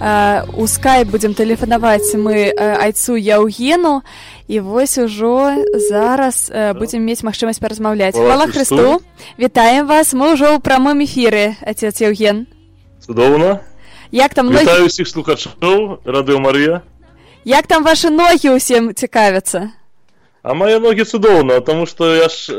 у скайп будзем тэлефанаваць мы айцу Яўгену, і вось ужо зараз будзем мець магчымасць паразмаўляць. Хвала Хрысту, вітаем вас, мы ўжо ў прамым эфіры, отец Яўген. Цудоўна. Як там вітаю ўсіх слухачоў Радыё Марыя. Як там ваши ногі ўсім цікавяцца? А мои ноги цудоўна, потому что я ж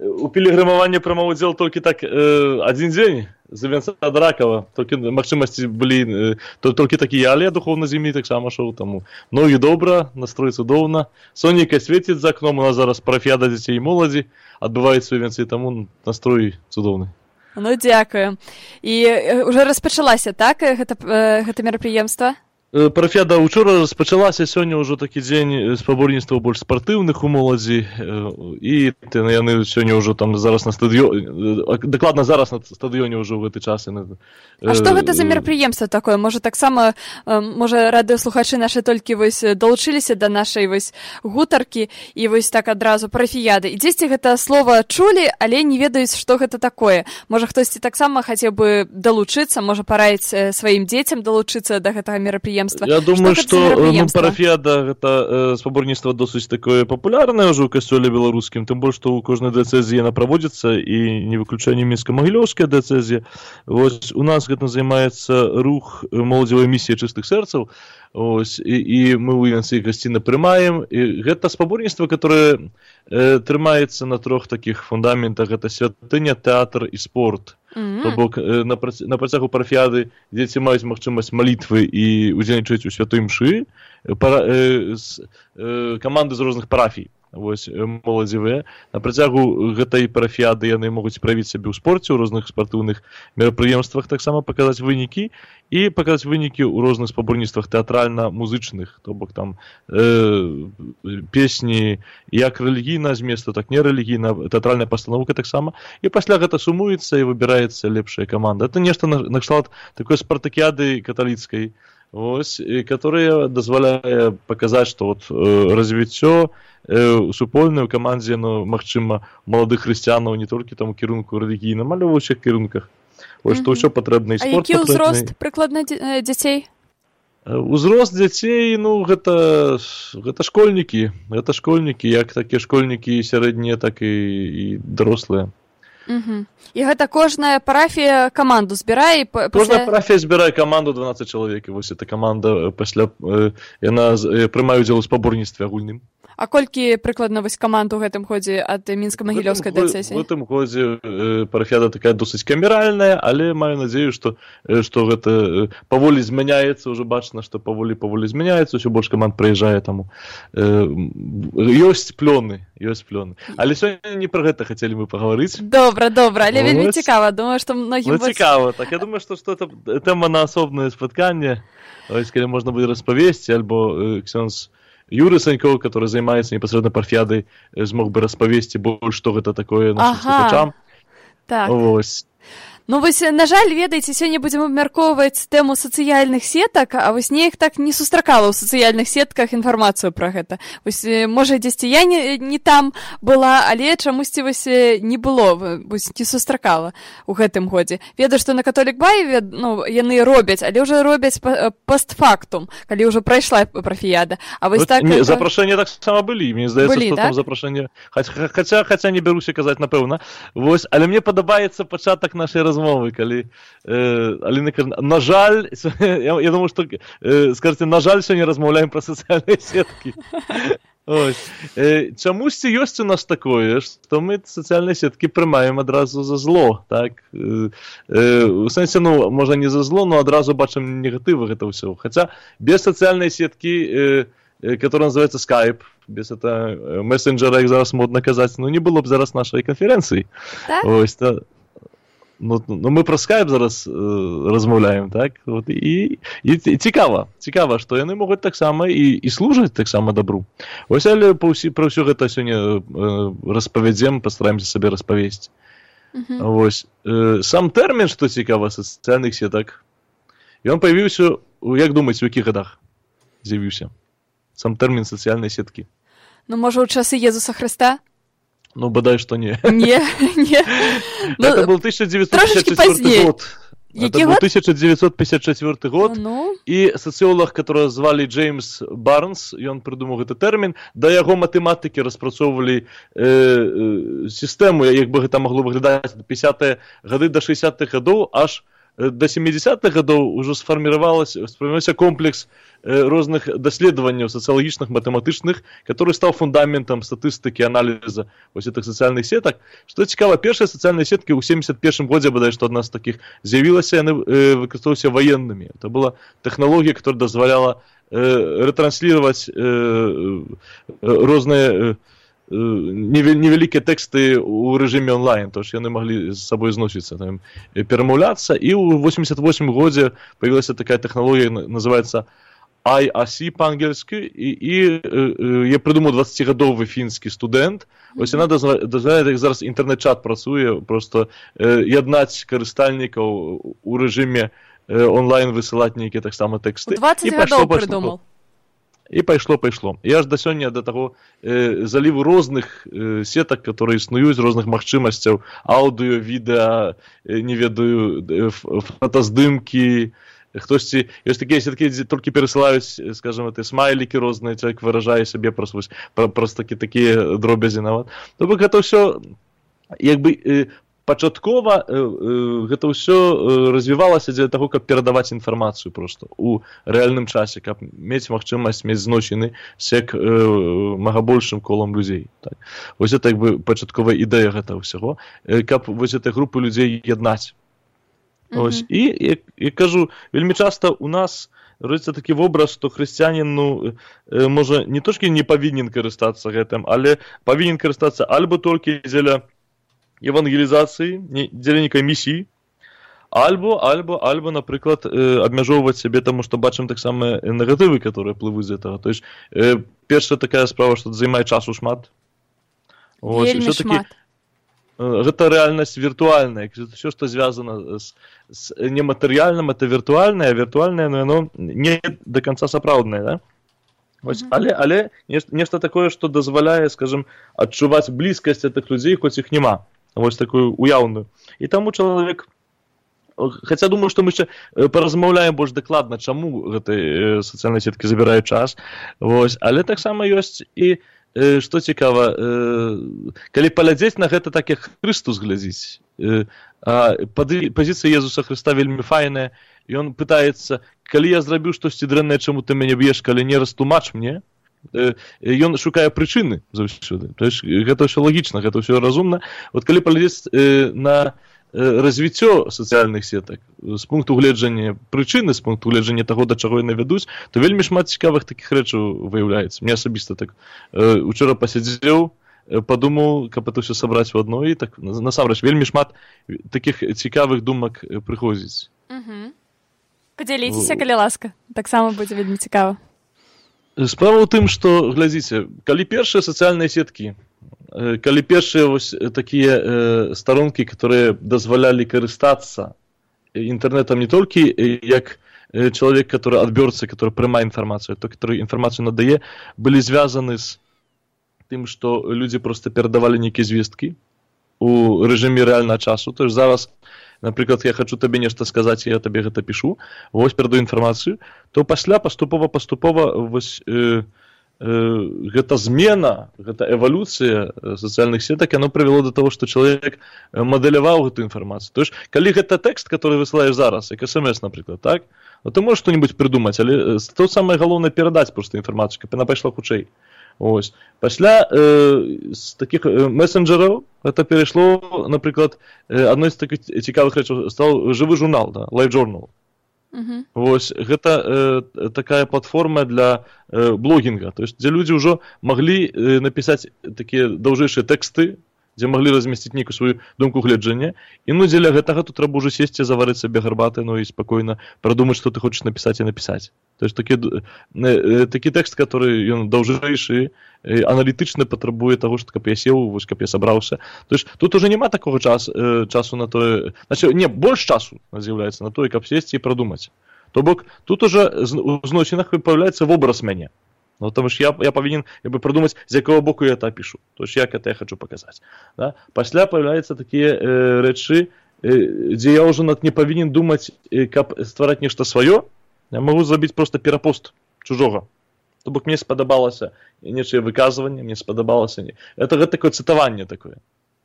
у пілігрымавання прымаў удзел толькі так адзін дзень з Венца ад Ракава, толькі магчымасці былі толькі такія, але я духовна з імі таксама шоў, таму ногі добра, настрой цудоўна, сонейка свеціць за акном, у нас зараз парафіяда дзяцей і моладзі адбываецца ў Венцы, таму настрой цудоўны. Ну дзякую. І уже распачалася, так, гэта мерапрыемства? Парафіяда учора распачалася, сёння ўжо такі дзень спаборніцтваў больш спартыўных у моладзі, і яны сёння ўжо там зараз на стадыёне, дакладна зараз на стадыёне ўжо ў гэты час. А што гэта за мерапрыемства такое? Можа таксама, можа радыёслухачы нашы толькі вось далучыліся да нашай вось гутаркі і вось так адразу парафіяды. І дзесьці гэта слова чулі, але не ведаюць, што гэта такое. Можа хтосьці таксама хацеў бы далучыцца, можа параіць сваім дзецям далучыцца да гэтага мерапрыемства. Я думаю, што парафіяда гэта спаборніцтва досыць такое папулярнае ўжо ў касцёле беларускім, тым больш, што ў кожнай дыяцэзіі яна праводзіцца, і не выключэнне мінска-магілёўская дыяцэзія. Вось у нас гэта займаецца рух моладзевай місіі чыстых сэрцаў, і мы ў Венцы гасціна прымаем. І гэта спаборніцтва, которое трымаецца на трох такіх фундаментах: гэта святыня, тэатр і спорт. То бок на працягу парафіяды дзеці маюць магчымасць малітвы і удзельнічаць у святой мшы, каманды з розных парафій, вось моладзевыя. На працягу гэтай парафіяды яны могуць праявіць сябе ў спорце, у розных спартыўных мерапрыемствах, таксама паказаць вынікі і паказаць вынікі ў розных спаборніцтвах тэатральна-музычных, то бок там песні як рэлігійна зместу, так не рэлігійна, тэатральная пастаноўка таксама, і пасля гэта сумуецца і выбіраецца лепшая каманда. Это нешта накшталт такой спартакіяды каталіцкай, вось, которая дазваляе паказаць, што вот развіццё супольнае ў камандзе, ну, магчыма, маладых хрысціянаў не толькі там у кірунку рэлігійным, але ў ўсіх кірунках. Вось, што ўсё патрэбна, і спорт патрэбны. А які ўзрост прыкладна дзяцей? Узрост дзяцей, ну, гэта школьнікі. Гэта школьнікі, як такія школьнікі сярэднія, так і дарослыя. І гэта кожная парафія каманду збірае? Кожная парафія збірае каманду 12 чалавек, і вось эта каманда пасля яна прымае ўдзел у спаборніцтве агульным. А колькі прыкладна вось каманд у гэтым годзе ад мінска-магілёўскай дыяцэзіі? У гэтым годзе парафіяда такая досыць камеральная, але маю надзею, што гэта паволі змяняецца, ўжо бачна, што паволі змяняецца, ўсё больш каманд прыязджае, таму ёсць плёны. Але сёння не пра гэта хацелі мы пагаварыць. Добра, але вельмі цікава, думаю, што многім... Ну, цікава, так, я думаю, што это тэма на асобнае спатканне, калі можна будзе распавесці, альбо ксёндз Юры Санькоў, который займаецца непасрэдна парафіядай, змог бы распавесці больш, што гэта такое нашым слухачам. Так. Вось. Ну, вось, на жаль, ведаеце, сёння будзем абмяркоўваць тэму сацыяльных сетак, а вось неяк так не сустракала ў сацыяльных сетках інфармацыю пра гэта. Вось, можа, дзесьці я не там была, але чамусьці вось не было, вось не сустракала ў гэтым годзе. Ведаю, што на Католік Бай, ну, яны робяць, але ўжо робяць постфактум, калі ўжо прайшла парафіяда. А вось так... Запрашэнні таксама былі, мне здаецца, што там запрашэнне... Хаця не бяруся казаць, напэўна. Вось, але мне падабаецца пачатак нашай размовы, калі Аліна кажа, на жаль, я думаю, што скажце, на жаль, сёння размаўляем пра сацыяльныя сеткі. Чамусьці ёсць у нас такое, што мы сацыяльныя сеткі прымаем адразу за зло, так? У сэнсе, ну, можа не за зло, но адразу бачым негатывы гэта ўсё. Хаця без сацыяльнай сеткі, которая называется Skype, без этого мессенджера, як зараз модна казаць, ну, не было б зараз нашай канферэнцыі. Так? Ось, ну, мы пра Skype зараз размаўляем, так? Вот, і цікава, што яны могуць таксама і служаць таксама добру. Вось, але пра ўсё гэта сёння распавядзем, пастараемся сабе распавесці. Вось, сам тэрмін, што цікава, сацыяльных сетак, ён паявіўся, як думаеце, у якіх гадах з'явіўся? Сам тэрмін сацыяльнай сеткі. Ну, можа, у часы Езуса Хрыста? Ну, бадай, што не. Не. Это был 1954 год. Это был 1954 год, и социолог, которого звали Джеймс Барнс, и он придумал этот термин, да яго математики распрацоўвалі систему, як бы гэта могло выглядаць ад 50-е гады до 60-х годов, аж до 70-х годов уже сформировался комплекс розных даследаванняў сацыялагічных, матэматычных, который стал фундаментом статыстыкі, анализа вось этих социальных сеток. Что цікава, першыя социальные сетки ў 71 годзе, бадай, што одна з таких з'явілася, яны выкарыстоўваліся военными. Это была технология, которая дозволяла ретранслировать розныя невялікія тэксты ў рэжыме онлайн, то ж яны маглі з сабой зносіцца, там, перамаўляцца, і ў 88 годзе появилась такая технология, называется IRC по-ангельски, и я придумал 20-гадовый фінскі студэнт. Вось яна дазваляе, як зараз інтэрнэт-чат працуе, просто яднаць карыстальнікаў у рэжыме онлайн высылаць нейкія таксама тэксты. 20 гадоў придумал. И пошло. Я аж до сёння до того заліву розных сетак, которые існуюць, розных магчымасцяў, аўдыо, відэа, не ведаю, фотаздымкі. Хтосьці, ёсць такія сеткі, дзе толькі перасылаюць, скажем, смайлікі розныя, чалавек выражае сябе просто такія дробязі нават. То бок гэта ўсё, як бы, пачаткова гэта ўсё развівалася для таго, каб перадаваць інфармацыю просто у рэальным часе, каб мець магчымасць мець зносіны сек мага большым колам людзей. Так. Вось гэта як бы пачатковая ідэя гэта ўсяго, каб вось этой групы людзей яднаць. Ось. І кажу, вельмі часта у нас родзіцца такі вобраз, што хрысціянін, ну, можа, не толькі не павінен карыстацца гэтым, але павінен карыстацца альбо толькі дзеля евангелізацыі, дзеля нейкай місіі, альбо, напрыклад, абмяжоўваць сябе, таму што бачым таксама негатывы, которые плывуць з этого. То есть, першая такая справа, што займае часу шмат. Вельмі шмат. Гэта рэальнасць віртуальная, все, што звязана з нематэрыяльным, это віртуальнае, а віртуальнае, но яно не до конца сапраўднае, да? Вось, але нешта такое, што дазваляе, скажем, адчуваць блізкасць этих людзей, хоць іх няма, вось такую уяўную. І таму чалавек, хаця думаю, што мы яшчэ паразмаўляем больш дакладна, чаму гэтыя сацыяльныя сеткі забіраюць час, вось, але таксама ёсць і што цікава, калі паглядзець на гэта так, як Хрыстус глядзіць, пазіцыя Езуса Хрыста вельмі файная, і ён пытаецца, калі я зрабіў штосьці дрэннае, чаму ты мяне б'еш, калі не растлумач мне, ён шукае прычыны заўсёды. То есть гэта ўсё лагічна, гэта ўсё разумна. Вот калі паглядзець на развіццё сацыяльных сетак з пункту гледжання прычыны, з пункту гледжання таго, да чаго яны вядуць, то вельмі шмат цікавых такіх рэчаў выяўляецца. Мне асабіста так учора пасядзеў, падумаў, каб это ўсё сабраць у адно, і так насамрэч вельмі шмат такіх цікавых думак прыходзіць. Падзяліцеся, калі ласка. Таксама будзе вельмі цікава. Справа ў тым, што, глядзіце, калі першыя сацыяльныя сеткі, калі першыя вось такія старонкі, которые дазвалялі карыстацца інтэрнэтам не толькі як чалавек, который адбёрца, который прымае інфармацыю, той, который інфармацыю надае, былі звязаны з тым, што людзі проста перадавалі нейкія звесткі у рэжыме рэальнага часу. То есть зараз, напрыклад, я хочу табе нешта сказаць, я табе гэта пішу, вось перадаю інфармацыю, то пасля паступова вось гэта змена, гэта эвалюцыя сацыяльных сетак, яно прывяло до того, што чалавек мадэляваў гэту інфармацыю. То есть, калі гэта тэкст, который высылаеш зараз, як смс, напрыклад, так, то ты можаш што-небудзь прыдумаць, але то самае галоўнае перадаць проста інфармацыю, каб яна пайшла хутчэй. Ось. Пасля з такіх месенджераў гэта перайшло, напрыклад, адной з такіх цікавых рэчаў стаў жывы журнал, да, Live Journal. Вось, гэта такая платформа для блогінга, то есть, дзе людзі ўжо маглі напісаць такія даўжэйшыя тэксты, дзе маглі размясціць нейкую сваю думку гледжання, і ну дзеля гэтага тут трэба ўжо сесці, заварыць сабе гарбаты, ну і спакойна прадумаць, што ты хочаш напісаць і напісаць. То есть, такі тэкст, который ён даўжэйшы, аналітычна патрабуе таго, што каб я сеў, вось каб я сабраўся. То есть, тут уже няма такога часу на тое, значит, не, больш часу з'яўляецца на тое, каб сесці і прадумаць. То бок, тут уже у зносінах павяляецца вобраз мяне. Ну, потому что я повинен продумать, з якого боку я это пишу. То есть, як это я хочу показать. Да? Пасля появляются такие речи, дзе я ўжо не павінен думаць, каб ствараць нешта сваё, я магу зрабіць проста перапост чужога. То бок мне спадабалася нечае выказванне, мне спадабалася... Это такое цытаванне такое.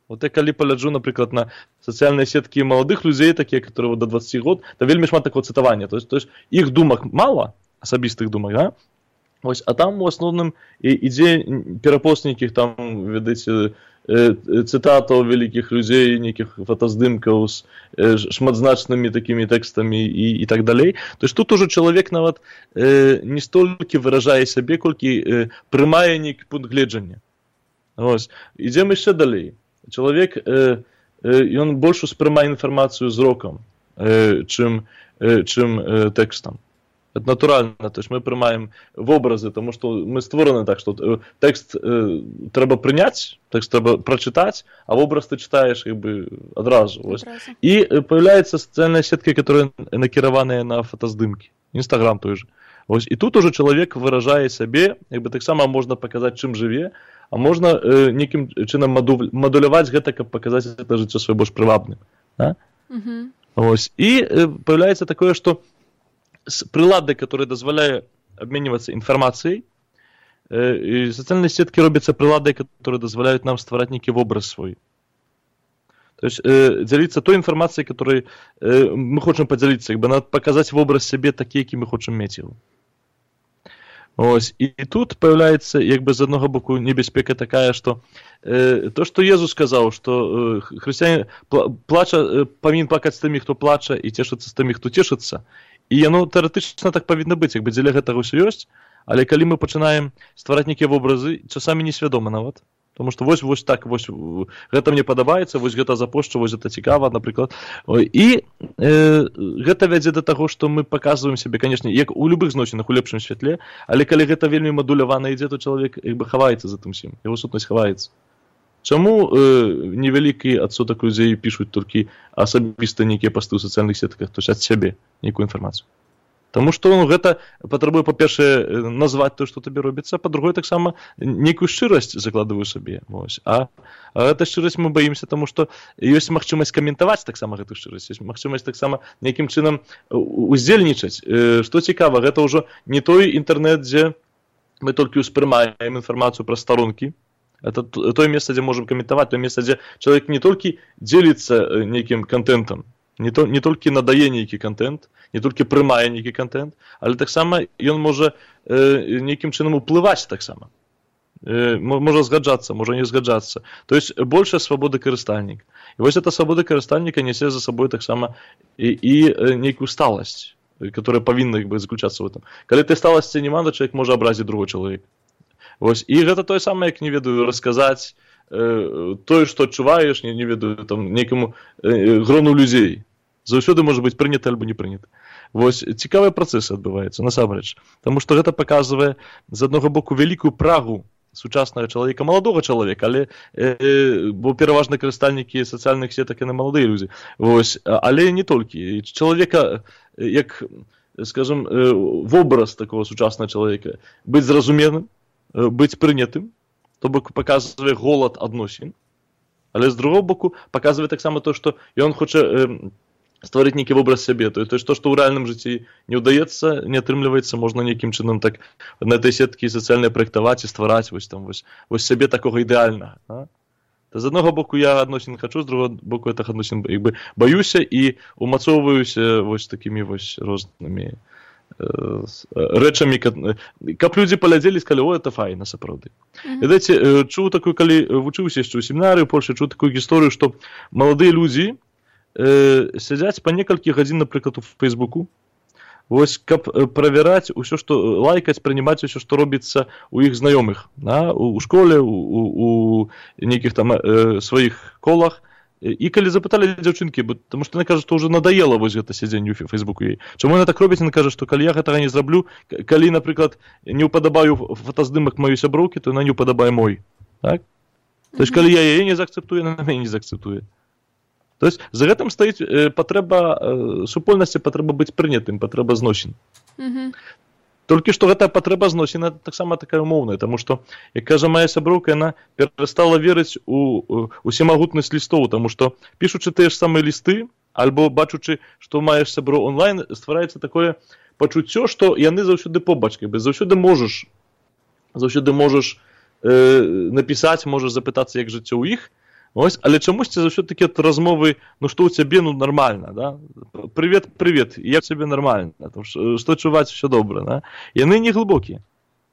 Вот я калі пагляджу, напрыклад, на сацыяльныя сеткі маладых людзей, такія, которые до 20 год, то вельмі шмат такого цытавання. То есть іх думак мала, асабістых думак, да? Ось, а там у асноўным ідзе перапост нейкіх там, ведаеце, цытатаў вялікіх людзей, нейкіх фотаздымкаў з шматзначнымі такімі тэкстамі і так далей. То есть тут уже чалавек нават не столькі выражае сябе, колькі прымае нейкі пункт гледжання. Ось, ідзем яшчэ далей. Чалавек, ён больш успрымае інфармацыю зрокам, чым тэкстам. Это натуральна, то есть мы прымаем вобразы, тому што мы створаны так, што тэкст трэба прыняць, тэкст трэба прачытаць, а вобраз ты чытаеш як бы адразу. І появляецца сацыяльная сетка, которая накіраваная на фотаздымкі. Інстаграм той же. І тут уже чалавек выражае сябе, як бы таксама можна паказаць, чым жыве, а можна нейкім чынам мадуляваць гэта, каб паказаць гэта жыццё сваё больш прывабным. Да? І появляецца такое, што прылады, которые дазваляе абменьвацца інфармацыяй, і сацыяльныя сеткі робяцца прылады, которые дазваляюць нам ствараць нейкі вобраз свой. То есть дзяліцца той інфармацыяй, которой мы хочам падзяліцца, як бы надо паказаць вобраз сябе такі, які мы хочам мець яго. Ось, і тут появляецца, як бы з аднаго боку небяспека такая, што то, што Езус сказаў, што хрысціянін павінен плакаць з тымі, хто плача, і цешыцца з тымі, хто цешыцца. І яно тэарэтычна так павінна быць, як бы дзеля гэтага ўсё ёсць, але калі мы пачынаем ствараць нейкія вобразы, часамі несвядома нават. Тому што вось так, гэта мне падабаецца, вось гэта запошчу, вось гэта цікава, напрыклад. І гэта вядзе да таго, што мы паказваем сябе, канешне, як у любых зносінах у лепшым святле, але калі гэта вельмі мадулявана ідзе, то чалавек як бы хаваецца за тым усім, яго сутнасць хаваецца. Чаму невялікі адсотак людзей пішуць толькі асабіста нейкія пасты ў сацыяльных сетках, то есть ад сябе нейкую інфармацыю? Таму што гэта патрабуе, па-першае, назваць тое, што табе робіцца, а па-другое, таксама нейкую шчырасць закладваю сабе. А гэта шчырасць мы баімся, таму што ёсць магчымасць каментаваць таксама гэту шчырасць, ёсць магчымасць таксама нейкім чынам уздзельнічаць. Што цікава, гэта ўжо не той інтэрнэт, дзе мы толькі ўспрымаем інфармацыю праз старонкі. Это тое месца, дзе можам каментаваць, тое месца, дзе чалавек не толькі дзеліцца нейкім кантэнтам, не толькі надае нейкі контент, не толькі прымае нейкі контент, але таксама ён можа нейкім чынам уплываць таксама. Можа згаджацца, можа не згаджацца. То есть большая свабода карыстальніка. І вось эта свабода карыстальніка нясе за сабой таксама і нейкую сталасць, которая павінна заключацца в этом. Калі ты сталасці няма, то чалавек можа абразіць другой чалавек. І гэта тое самае, як, не ведаю, расказаць тое, што адчуваеш, не ведаю, там, нейкаму грону людзей. Заўсёды можа быць прынята альбо не прынята. Вось цікавыя працэсы адбываюцца, насамрэч. Таму што гэта паказвае, з аднаго боку, вялікую прагу сучаснага чалавека, маладога чалавека, але, бо пераважна карыстальнікі сацыяльных сетак яны маладыя людзі. Вось, але не толькі. Чалавека, як, скажам, вобраз такого сучаснага чалавека, быць зразуменым, быць прынятым, то бок паказвае голад адносін, але з другого боку паказвае таксама то, што ён хоча стварыць нейкі вобраз сябе, то есть то, што ў рэальным жыцці не ўдаецца, не атрымліваецца, можна нейкім чынам так на этой сеткі сацыяльнай праектаваць і ствараць вось сябе такога ідэальнага. З аднаго боку я адносін хачу, з другого боку я так адносін баюся і умацоўваюся вось такімі вось рознымі рэчамі, каб людзі паглядзелі і сказалі, о, это файна, сапраўды. Ведаеце, чуў такую, калі вучыўся яшчэ ў семінары ў Польшы, чуў такую гісторыю, што маладыя людзі сядзяць па некалькі гадзін, напрыклад, у Фейсбуку, вось, каб правяраць усё, што лайкаць, прынимаць усё, што робіцца у іх знаёмых, у школе, у нейкіх там сваіх колах. І калі запыталі дзяўчынкі, таму што яна кажа, што ўжо надаела вось гэта сядзенне ў Фейсбуку ёй. Чаму яна так робіць? Яна кажа, што калі я гэтага не зраблю, калі, напрыклад, не ўпадабаю фотаздымак маёй сяброўкі, то яна не ўпадабае мой. Так? То есть, калі я яе не заакцэптую, яна мяне не заакцэптуе. То есть, за гэтым стаіць патрэба супольнасці, патрэба быць прынятым, патрэба зносін. Толькі што гэтая патрэба зносін таксама такая умоўная, таму што, як кажа моя сяброўка, яна перастала верыць у усемагутнасць лістоў, таму што пішучы тыя ж самыя лісты, альбо бачучы, што маеш сябро онлайн, ствараецца такое пачуццё, што яны заўсёды побач, заўсёды можаш напісаць, можаш запытацца, як жыццё ў іх, ось, але чамусьці заўсёды такія размовы, ну што ў цябе, ну нармальна, да? Привет, як цябе нармальна, што чуваць, усё добра, да? Яны не глыбокія.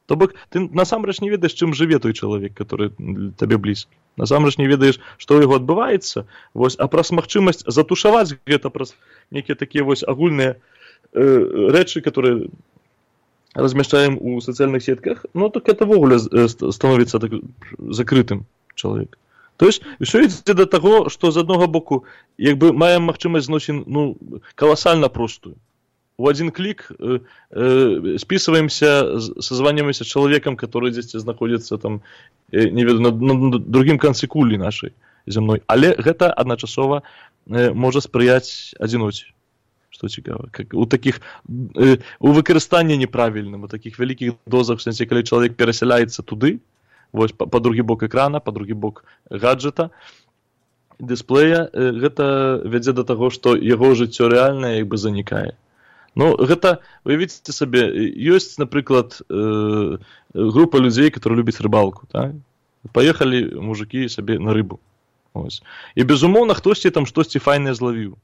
То бок, ты насамрэч не ведаеш, чым жыве той чалавек, который табе блізкі. Насамрэч не ведаеш, што ў яго адбываецца, вось, а праз магчымасць затушаваць гэта праз нейкія такія вось агульныя рэчы, которые размяшчаем у сацыяльных сетках, ну так это ввогуле становіцца так закрытым чалавек. То есть, ўсё ідзе да таго, што з аднаго боку, як бы маем магчымасць зносін, ну, каласальна простую. У один клик списываемся, созваниваемся с человеком, который здесь находится там, не веду, на другім канцы кулі нашай зямной. Але гэта адначасова можа спрыяць адзіноце. Што цікава. У такіх, у выкарыстанні неправільным, у такіх вялікіх дозах, в сэнсе, калі чалавек перасяляецца туды, вось, па другі бок экрана, па другі бок гаджета, дысплея, гэта вядзе да таго, што яго жыццё рэальнае як бы занікае. Ну, гэта, уявіце сабе, ёсць, напрыклад, група людзей, которые любяць рыбалку, так? Паехалі мужыкі сабе на рыбу. Ось. І, безумоўна, хтосьці там штосьці файнае злавіў.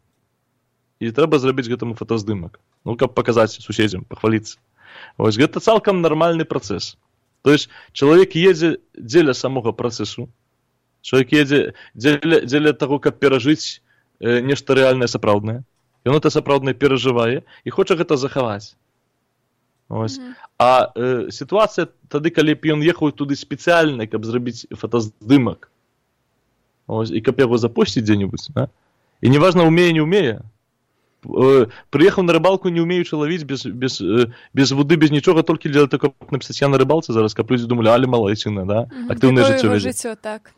І трэба зрабіць гэтаму фотаздымак. Ну, каб паказаць суседзям, пахваліцца. Ось, гэта цалкам нармальны працэс. То есть, чалавек едзе дзеля самога працэсу, чалавек едзе дзеля таго, каб перажыць нешта рэальнае, сапраўднае. Ён это сапраўдна перажывае і хоча гэта захаваць. Ось. А сітуацыя тады, калі б ён ехаў туды спецыяльна, каб зрабіць фотаздымак, ось, і каб яго запусціць дзе-небудзь, да? І неважна, умее, не умее. Прыехаў на рыбалку, не умеючы лавіць, без воды, без нічога, толькі для таго, каб напісаць я на рыбалцы зараз, каб людзі думалі, але малайчына, да? Актыўнае жыццё вядзе. Так.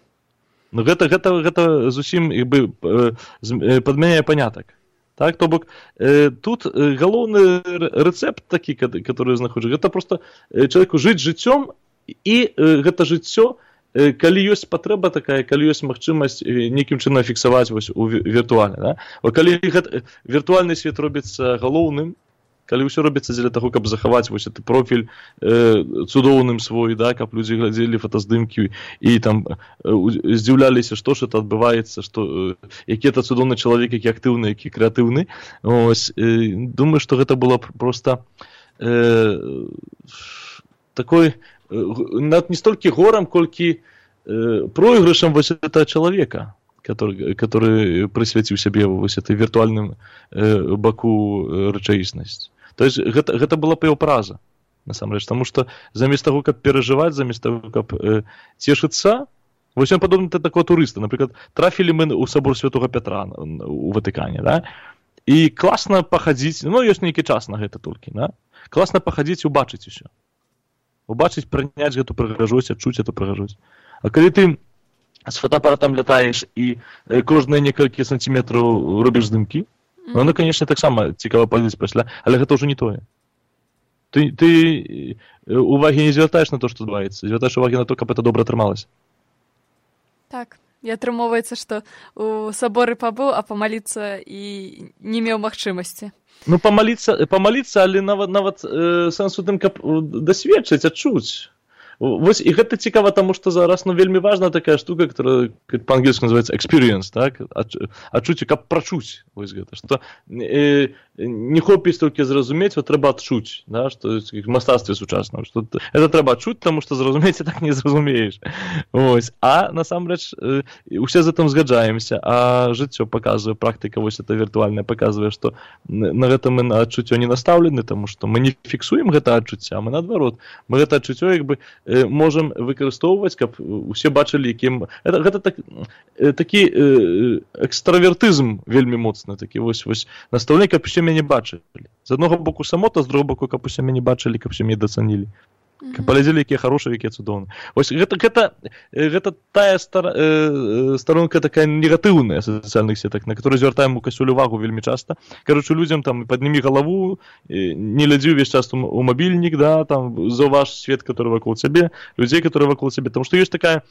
Ну гэта зусім як бы падмяняе панятак. Так, то бок, тут галоўны рэцэпт такі, который знаходжу, гэта просто чалавеку жыць жыццём, і гэта жыццё, калі ёсць патрэба такая, калі ёсць магчымасць нейкім чынам фіксаваць вось у віртуальна, да? Калі віртуальны свет робіцца галоўным, калі ўсё робіцца дзеля таго, каб захаваць вось гэты профіль цудоўным свой, да, каб людзі глядзелі фотаздымкі і там здзіўляліся, што ж это адбываецца, што які это цудоўны чалавек, які актыўны, які крэатыўны. Ось, думаю, што гэта было просто такой не столькі горам, колькі проигрышам вось этого чалавека, который прысвяціў сябе вось этой віртуальным баку рэчаіснасць. То есть гэта была па яго праза, насамрэч, таму што замест таго, каб перажываць, замест таго, каб цешыцца, вось ён падобны да такого турыста. Напрыклад, трафілі мы ў сабор Святога Пятра у Ватыкане, да? І класна пахадзіць, ну ёсць нейкі час на гэта толькі, да? Класна пахадзіць, убачыць усё. Убачыць, прыняць гэту прыгажосць, адчуць эту прыгажосць. А калі ты з фотоапаратам лятаеш і кожныя некалькі сантиметраў робіш здымкі, ну, конечно, таксама цікава паглядзець пасля, але гэта ўжо не тое. Ты увагі не звяртаеш на то, што адбываецца, звяртаеш увагі на то, каб это добра атрымалася. Так, і атрымоўваецца, што у саборы пабыў, а памаліцца і не меў магчымасці. Ну, памаліцца, але нават сэнс у тым, каб дасведчыць, адчуць. Вось, і гэта цікава, таму што зараз, ну, вельмі важна такая штука, которая па-ангельску называецца experience, так? Адчуць, каб прачуць, вось гэта, што не хопіць толькі зразумець, вот трэба адчуць, да, што в мастацтве сучасным, што это трэба адчуць, таму што зразумець так не зразумееш. Вось, а насамрэч усе з гэтым згаджаемся, а жыццё паказвае, практыка вось это віртуальная паказвае, што на гэта мы на адчуццё не настаўлены, таму што мы не фіксуем гэта адчуцця, мы наадварот, мы гэта адчуццё як бы можам выкарыстоўваць, каб усе бачылі, якім... Гэта такі экстравертызм вельмі моцны, такі вось настаўленне, каб усе мяне бачылі. З аднаго боку самота, з другого боку, каб усе мяне бачылі, каб усе мяне дацанілі. Паглядзелі, якія хорошыя, якія цудоўныя. Вось гэта тая старонка такая негатыўная сацыяльных сетак, на которую звяртаем у Касюль увагу вельмі часта. Кароче, людзям там паднімі галаву, не глядзі ўвесь час у мабільнік, да, там заўваж свет, который вакол цябе, людзей, которые вакол цябе. Потому што ёсць такая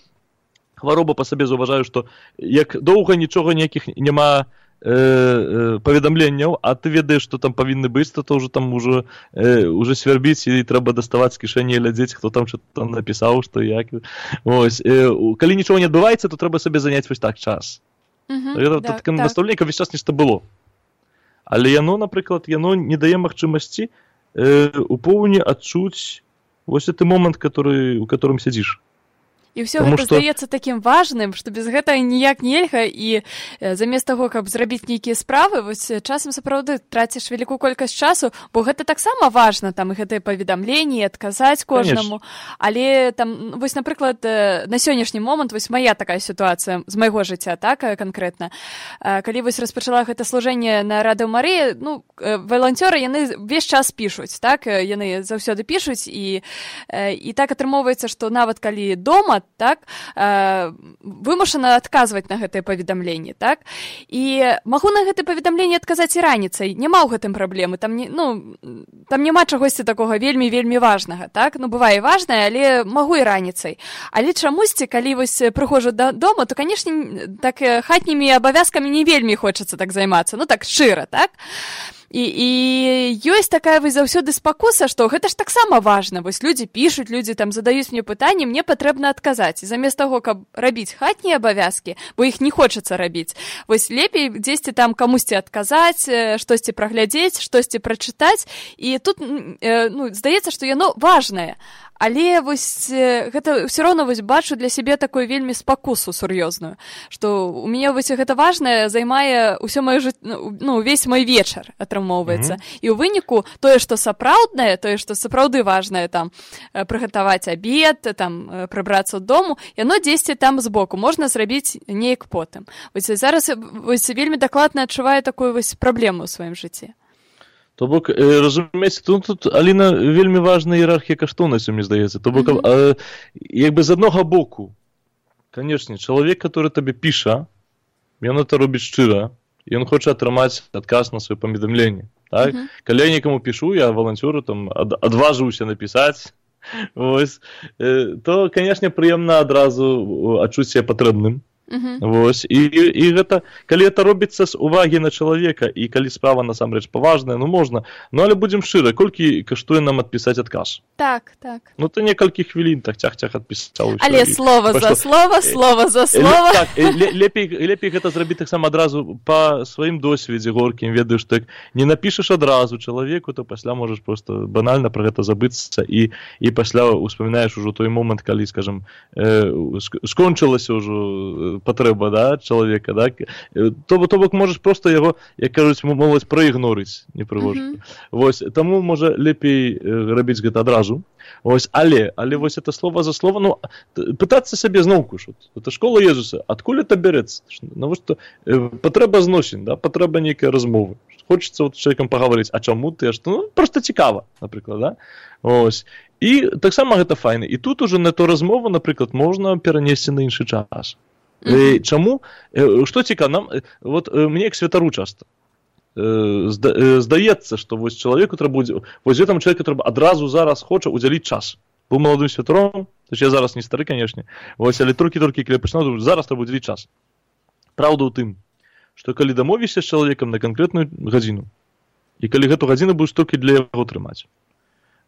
хвароба па сабе, заўважаю, што як доўга нічога ніякіх няма паведамленняў, а ты ведаеш, што там павінны быць, то ўжо там уже свярбіць і трэба даставаць з кішэні і глядзець, хто там што напісаў, што як. Ось. Калі нічога не адбываецца, то трэба сабе заняць вось так час. Настаўленнікам весь час нешта было. Але яно, напрыклад, не дае магчымасці у поўні адчуць вось гэты момант, у которым сядзіш. І ўсё гэта здаецца такім важным, што без гэтага ніяк нельга, і замест таго, каб зрабіць нейкія справы, вось часам сапраўды траціш вялікую колькасць часу, бо гэта таксама важна, там і гэтыя паведамленні, адказаць кожнаму. Але там, вось, напрыклад, на сённяшні момант, вось мая такая сітуацыя з майго жыцця, так, канкрэтна. Калі вось распачала гэта служэнне на Радыё Марыя, валанцёры, яны ўвесь час пішуць, так, яны заўсёды пішуць, і так атрымоўваецца, што нават калі дома, так, вымушана адказваць на гэтыя паведамленні, так, і магу на гэтыя паведамленні адказаць і раніцай, няма ў гэтым праблемы, там няма чагосьці такога вельмі важнага, так, бывае важнае, але магу і раніцай, але чамусьці, калі вось прыходжу дадому, то, канешне, так хатнімі абавязкамі не вельмі хочацца так займацца, так шчыра, так. І ёсць такая вось заўсёды спакуса, што гэта ж таксама важна. Вось людзі пішуць, людзі там задаюць мне пытанні, мне патрэбна адказаць. І замест таго, каб рабіць хатнія абавязкі, бо іх не хочацца рабіць, вось лепей дзесьці там камусьці адказаць, штосьці праглядзець, штосьці прачытаць. І тут здаецца, што яно важнае. Але вось гэта ўсё роўна вось бачу для сябе такую вельмі спакусу сур'ёзную, што у мяне вось гэта важнае займае ўсё маё увесь мой вечар атрымоўваецца. І ў выніку тое, што сапраўднае, тое, што сапраўды важнае, там прыгатаваць абед, там прыбрацца ў дому, яно дзесьці там збоку можна зрабіць неяк потым. Вось зараз вось вельмі дакладна адчуваю такую вось праблему ў сваім жыцці. То бок, разумееце, тут, Аліна, вельмі важная іерархія каштоўнасцяў, мне здаецца. То бок, як бы з аднога боку, канешне, чалавек, который табе піша, ён это робіць шчыра, ён хоча атрымаць адказ на сваё паведамленне. Так? Калі я некаму пішу, я валанцёру там адважыўся напісаць, вось, то, канешне, прыемна адразу адчуць сябе патрэбным. Вось, і гэта, калі гэта робіцца з увагі на чалавека, і калі справа насамрэч паважная, можна, але будзем шчыра, колькі каштуе нам адпісаць адказ? Так. То некалькі хвілін так цях адпісаў. Але слова за слова, слова за слова. Так, лепей гэта зрабіць таксама адразу па сваім досведзе горкім, ведаеш, так, не напішаш адразу чалавеку, то пасля можаш проста банальна пра гэта забыцца, і пасля успамінаеш ужо той момант, калі, скажам, скончылася ўжо патрэба, да, чалавека, да? То бок можаш проста яго, як кажуць, моладзь праігнорыць непрыгожа. Вось, таму можа лепей рабіць гэта адразу. Вось, але вось это слова за слова, пытацца сябе зноўку, это школа Езуса, адкуль это бярэцца? Навошта патрэба зносін, да, патрэба нейкай размовы. Хочацца з чалавекам пагаварыць, а чаму ты, проста цікава, напрыклад, да? Ось. І таксама гэта файна. І тут уже на ту размову, напрыклад, можна перанесці на іншы час. Чаму? Што цікава, нам, вот мне як святару часта здаецца, што вось чалавеку трэба, вось гэтаму чалавеку трэба адразу зараз хоча удзяліць час. Быў маладым святаром, я зараз не стары, канешне, вось, але толькі калі пачынаў, зараз трэба удзяліць час. Праўда ў тым, што калі дамовішся з чалавекам на канкрэтную гадзіну, і калі гэту гадзіну будзеш толькі для яго трымаць,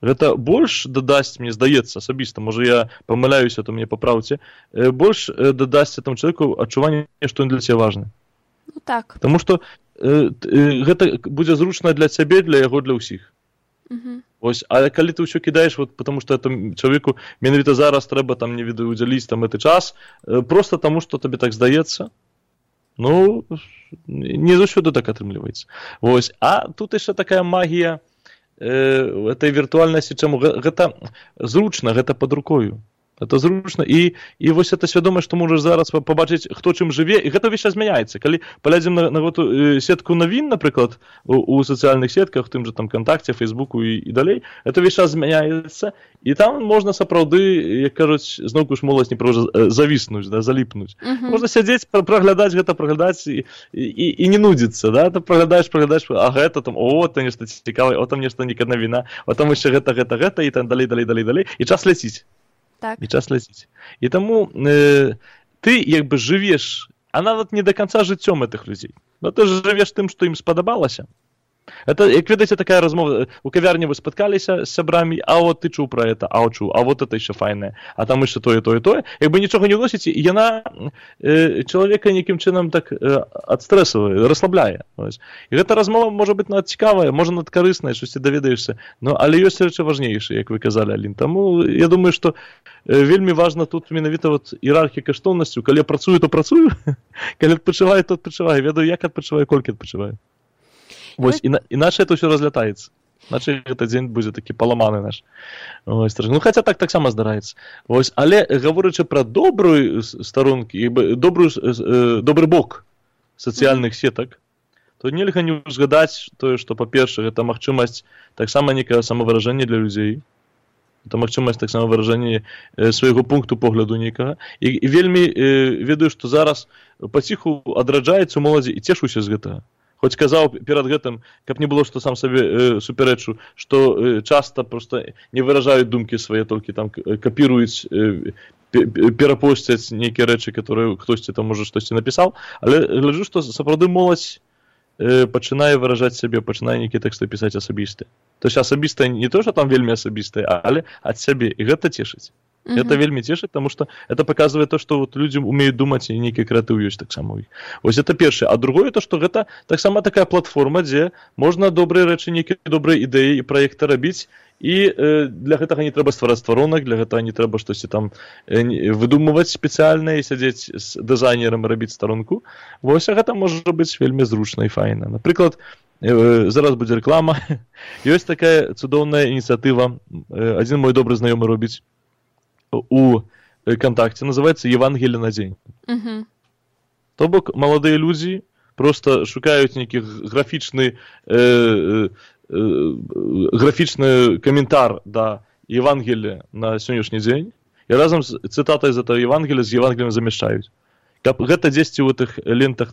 гэта больш дадасць, мне здаецца, асабіста, можа я памыляюся, то мне папраўце, больш дадасць там чалавеку адчуванне, што ён для цябе важны. Так. Таму што гэта будзе зручна для цябе, для яго, для ўсіх. Ось, а калі ты ўсё кідаеш, вот, потому што чалавеку менавіта зараз трэба там не ведаю удзяліць там гэты час, проста таму, што табе так здаецца, не заўсёды так атрымліваецца. Вось, а тут яшчэ такая магія этой віртуальнасці, чаму гэта зручна, гэта пад рукою. Это зручна. І вось эта свядомасць, што можаш зараз пабачыць, хто чым жыве, і гэта ўвесь час змяняецца. Калі паглядзім на гэту сетку навін, напрыклад, у сацыяльных сетках, тым же там ВКонтакце, Фейсбуку і далей, это ўвесь час змяняецца, і там можна сапраўды, як кажуць, зноўку ж моладзь не проста завіснуць, да, заліпнуць. Можна сядзець, праглядаць гэта, і не нудзіцца, да, ты праглядаеш, а гэта там, там нешта цікавае, там нешта нейкая навіна, там яшчэ гэта, і там далей, і час ляціць. Так. І час ляціць. І таму ты як бы жывеш, а нават не до конца жыццём гэтых людзей. Но ты жывеш тым, што ім спадабалася. Это, як ведаеце, такая размова, у кавярні вы спаткаліся з сябрамі, а от ты чуў пра гэта, чуў, а вот это яшчэ файнае, а там яшчэ тое. Як бы нічога не ўносіць, і яна чалавека нейкім чынам так адстрэсавае, расслабляе. І гэта размова можа быць нават цікавая, можа нават карысная, штосьці даведаешся, але ёсць рэчы важнейшыя, як вы казалі, Алін. Таму я думаю, што вельмі важна тут менавіта іерархія каштоўнасцяў. Калі я працую, то працую, калі адпачываю, то адпачываю, ведаю, як адпачываю, колькі адпачываю. Вось, іначе это ўсё разлятаецца. Іначе гэты дзень будзе такі паламаны наш. Ось, хаця таксама здараецца. Вось, але гаворачы пра добрую старонкі, добры бок сацыяльных сетак, то нельга не узгадаць тое, што, па-перше, гэта магчымасць таксама нейкае самавыражэнне для людзей. Это магчымасць таксама выражэння свайго пункту погляду нейкага. І вельмі ведаю, што зараз паціху адраджаецца ў моладзі і цешуся з гэтага. Хоць казаў перад гэтым, каб не было, што сам сабе суперэчу, што часта проста не выражаюць думкі свае, толькі там капіруюць, перапосцяць нейкія рэчы, которые хтосьці там можа штосьці напісаў, але гляджу, што сапраўды моладзь пачынае выражаць сябе, пачынае нейкія тэксты пісаць асабістыя. То есть асабістае не то, што там вельмі асабістае, але ад сябе, і гэта цешыць. Это вельмі цешыць, потому что это показывает то, что вот люди умеют думать, и некий креатив есть так само у них. Вот это первое. А другое то, что это так само такая платформа, где можно добрые речи, некие добрые идеи и проекты робить, и для этого не треба ствараць стваронак, для этого не треба штосьці там выдумываць спецыяльна і сядзець з дызайнерам і рабіць старонку. Вось, а гэта можа быць вельмі зручна і файна. Напрыклад, зараз будзе рэклама. Ёсць такая цудоўная ініцыятыва, адзін мой добры знаёмы робіць у ВКонтакте, называется «Евангелие на день». То бок, молодые люди просто шукают некий графичный комментар до Евангелия на сегодняшний день и разом с цитатой из этого Евангелия с Евангелием замешают. Каб гэта дзесьці ў гэтых лентах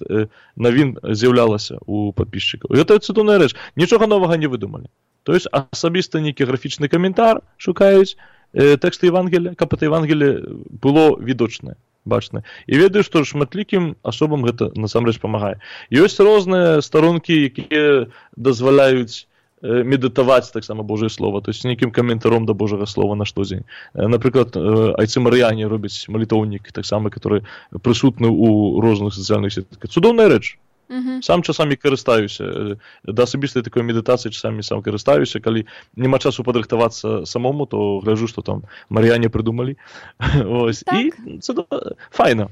навін з'яўлялася у падпісчыкаў. І гэта цудоўная рэч. Нічога новага не выдумалі. То есть асабіста нейкі графічны каментар шукаюць, тэксты Евангелия, каб это Евангелие было відочнае, бачнае. І ведаю, што шматлікім асобам гэта насамрэч памагае. Ёсць розныя старонкі, якія дазваляюць медытаваць таксама Божае Слово, то есть нейкім каментаром да Божага Слова на штодзень. Напрыклад, айцы марыяне робяць малітоўнік, таксама, который прысутны ў розных сацыяльных сетках. Цудоўная рэч. Сам часамі карыстаюся, да асабістай такой медытацыі часамі сам карыстаюся, калі няма часу падрыхтавацца самому, то гляджу, што там марыяне прыдумалі. Ось. Так. І файна.